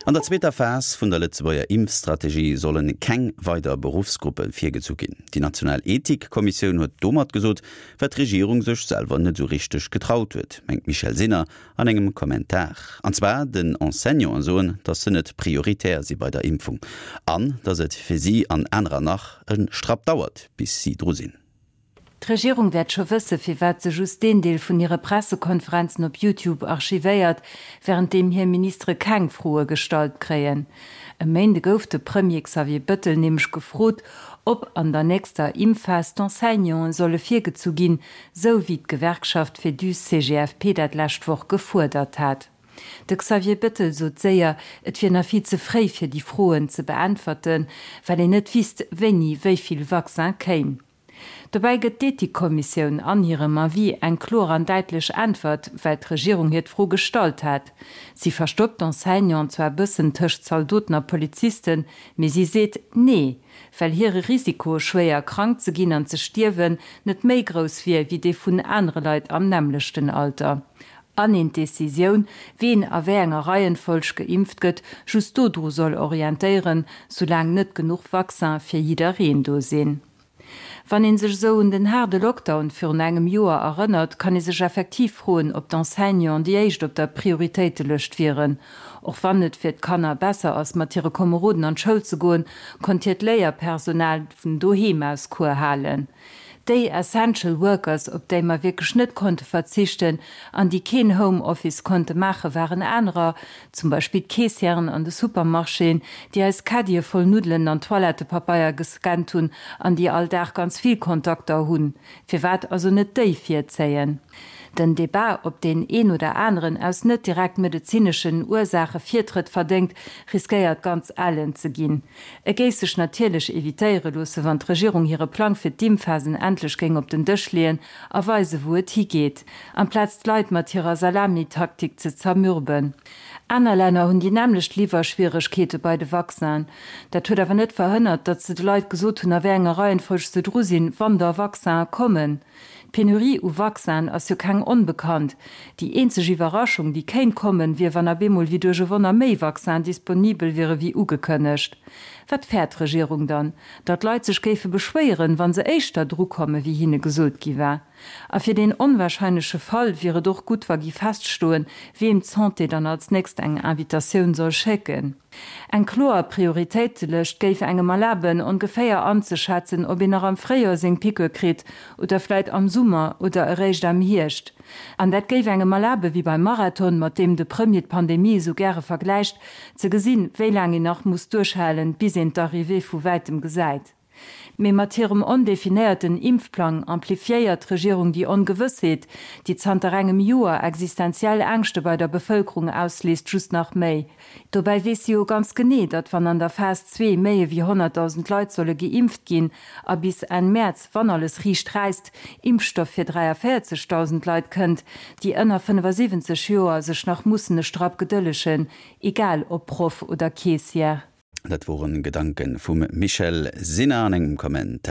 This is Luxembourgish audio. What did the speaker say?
An der zweeter Phas vun der Lëtzebuerger Impfstrategie solle keng weider Beruffsgruppe virgezu ginn. Déi national Ethikkommissioun huet domat gesot, wat d'Regierung sech selwer net esou richteg getraut huet, mengt d'Michèle Sinner an engem Kommentar. An zwar den Enseignanten soen, datt se net prioritär si bei der Impfung an datt et fir si an anerer nach e Strapp dauert, bis si dru sinn. D'Regierung wäert scho wësse firwat se just deen Deel vun hire Pressekonferenzen op Youtube archivéiert, wärend deem hir Ministere keng Froe gestallt kréien. E Méinde gouf de Premier Xavier Bëttel nämlech gefrot, ob an der nächster Impfphas d'Enseignanten solle virgezu ginn, sou wéi d'Gewerkschaft Féduse-CGFP dat lescht Woch gefuerdert hat. De Xavier Bettel sot séier, et wier nach vill ze fréi fir déi Froen ze beäntwerten, well een net wisst, wéini wéi vill Vaccin kéim. Dobäi gëtt d'Ethikkommissioun an hirem Avis eng kloer an däitlech Äntwert, well d'Regierung hir d'Fro gestallt hat. Si verstoppt d'Enseignanten zwar e bëssen tëscht Zaldoten a Polizisten, mee si seet Nee, well hire Risiko, schwéier krank ze ginn an ze stierwen, net méi grouss wier wéi dee vun anere Leit am nämmlechten Alter. An een d'Decisioun, ween a wéi enger Reihenfolg geimpft gëtt, just dodru soll orientéieren, soulaang net genuch Vaccin fir jiddereen do sinn. Wann een sech esou un den haarde Lockdown virun engem Joer erënnert, kann ee sech effektiv froen, ob d'Enseignanten déi éischt op der Prioritéitelëscht wieren. Och wann et fir d'Kanner besser ass, mat hire Komeroden an d'Schoul ze goen, konnt hiert Léierpersonal vun doheem aus Cours halen. Déi Essential Workers, op déi mer wierklech net konnte verzichten an déi keen Home Office konnte maachen, waren anerer, zum Beispill d'Keessièren an de Supermarchéen, déi eis Caddie voll Nuddelen an Toilettepapeier gescannt hunn an déi all Dag ganz vill Kontakter hunn. Firwat also net déi virzéien? Den Debat, ob deen een oder aneren aus net direkt medezineschen Ursaache Virtrëtt verdéngt, riskéiert ganz ellen ze ginn. E géif sech natierlech evitéiere loosse, wann d'Regierung hire Plang fir d'Impfphasen endlech géing op den Dësch leeën a weise wou et higeet, amplaz d'Leit mat hirer Salamitaktik ze zermürben. Aner Länner hunn déi nämmlecht Liwwerschwieregkeete bei de Vaccinen. Dat huet awer net verhënnert, datt se de Leit gesot hunn, a wéi enger Reihenfolg se dru sinn, wann da Vaccinen kommen. D'Penurie u Vaccinen ass jo keng onbekannt. Déi eenzeg Iwwerraschung, déi kéint kommen, wier, wann ab eemol wéi duerch e Wonner méi Vaccinen disponibel wiere wéi ugekënnegt. Wat fäert d'Regierung dann? Datt d'Leit sech géife beschwéieren, wa se éischter drukomme wéi hinne gesot gi war? A fir deen onwahrscheinleche Fall wier et och gutt, wa gi feststoen, weem d'Santé dann als nächst eng Invitatioun soll schécken. Eng kloer Prioritéitelëscht géif engem erlaben, ongeféier anzeschätzen, ob een nach am Fréijoer seng Piqûre kritt oder vläit am Summer oder eréischt am Hierscht. An dat géif engem erlaben, wéi beim Marathon, mat deem de Premier d'Pandemie esou gäre vergläicht, ze gesinn, wéi laang een nach muss duerchhalen, bis een d'Arrivée vu wäitem gesäit. Mee mat hirem ondefinéierten Impfplang amplifiéiert d'Regierung déi Ongewëssheet, déi zanter engem Joer existenziell Ängschte bei der Bevëlkerung ausléist, just nach méi. Dobäi weess si jo ganz genee, datt wann an der Phas zwee méi ewéi 100.000 Leit solle geimpft ginn a bis Enn Mäerz, wann alles riicht räisst, Impfstoff fir 43.000 Leit kënnt, déi ënner 75 Joer sech nach mussen e Strapp gedëllegen, egal ob Proff oder Keessière. Dat woren Gedanken vum Michèle Sinner an engem Kommentar.